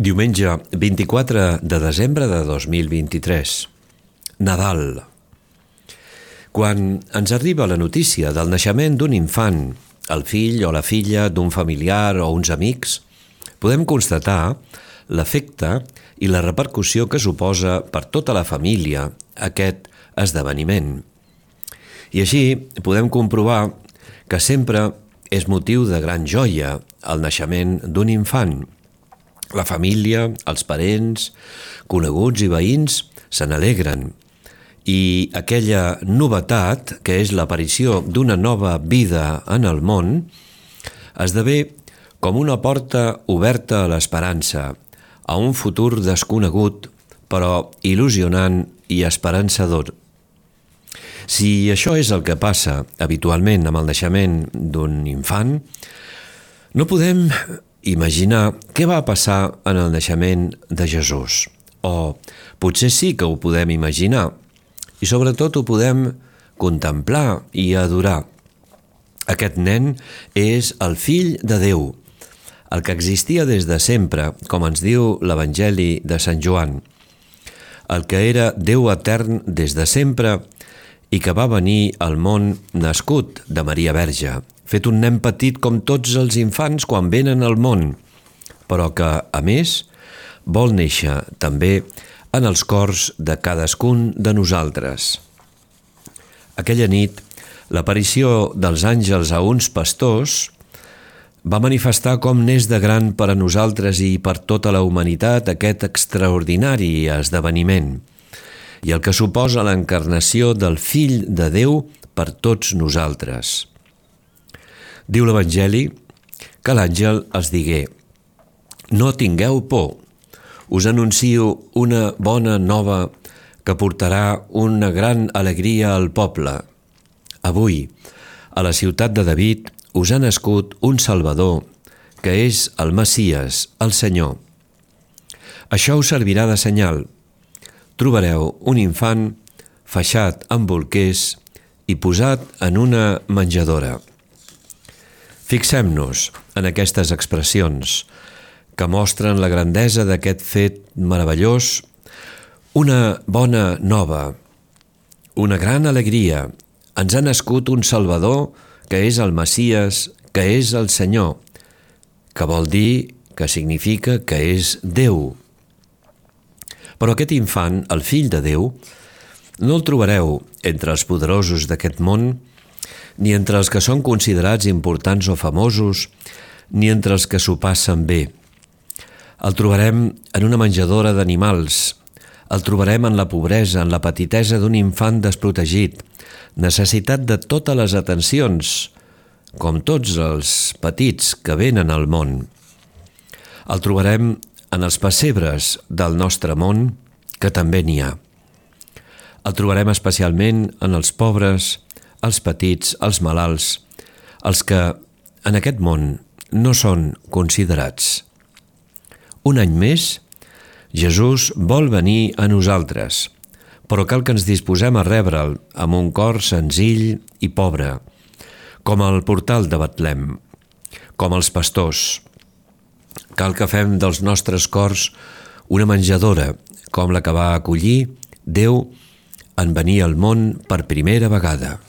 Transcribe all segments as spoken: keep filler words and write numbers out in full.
Diumenge vint-i-quatre de desembre de dos mil vint-i-tres. Nadal. Quan ens arriba la notícia del naixement d'un infant, el fill o la filla d'un familiar o uns amics, podem constatar l'efecte i la repercussió que suposa per tota la família aquest esdeveniment. I així podem comprovar que sempre és motiu de gran joia el naixement d'un infant. La família, els parents, coneguts i veïns se n'alegren i aquella novetat, que és l'aparició d'una nova vida en el món, esdevé com una porta oberta a l'esperança, a un futur desconegut, però il·lusionant i esperançador. Si això és el que passa habitualment amb el naixement d'un infant, no podem imaginar què va passar en el naixement de Jesús. O potser sí que ho podem imaginar i sobretot ho podem contemplar i adorar. Aquest nen és el Fill de Déu, el que existia des de sempre, com ens diu l'Evangeli de Sant Joan, el que era Déu etern des de sempre i que va venir al món nascut de Maria Verge, fet un nen petit com tots els infants quan venen al món, però que, a més, vol néixer també en els cors de cadascun de nosaltres. Aquella nit, l'aparició dels àngels a uns pastors va manifestar com n'és de gran per a nosaltres i per tota la humanitat aquest extraordinari esdeveniment i el que suposa l'encarnació del Fill de Déu per tots nosaltres. Diu l'Evangeli que l'àngel els digué: «No tingueu por, us anuncio una bona nova que portarà una gran alegria al poble. Avui, a la ciutat de David, us ha nascut un Salvador, que és el Messies, el Senyor. Això us servirà de senyal. Trobareu un infant faixat amb bolquers i posat en una menjadora». Fixem-nos en aquestes expressions que mostren la grandesa d'aquest fet meravellós, una bona nova, una gran alegria. Ens ha nascut un Salvador que és el Messies, que és el Senyor, que vol dir, que significa que és Déu. Però aquest infant, el Fill de Déu, no el trobareu entre els poderosos d'aquest món, ni entre els que són considerats importants o famosos, ni entre els que s'ho passen bé. El trobarem en una menjadora d'animals, el trobarem en la pobresa, en la petitesa d'un infant desprotegit, necessitat de totes les atencions, com tots els petits que venen al món. El trobarem en els pessebres del nostre món, que també n'hi ha. El trobarem especialment en els pobres, els petits, els malalts, els que en aquest món no són considerats. Un any més, Jesús vol venir a nosaltres, però cal que ens disposem a rebre'l amb un cor senzill i pobre, com el portal de Betlem, com els pastors. Cal que fem dels nostres cors una menjadora, com la que va acollir Déu en venir al món per primera vegada.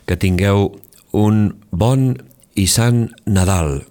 Que tingueu un bon i sant Nadal.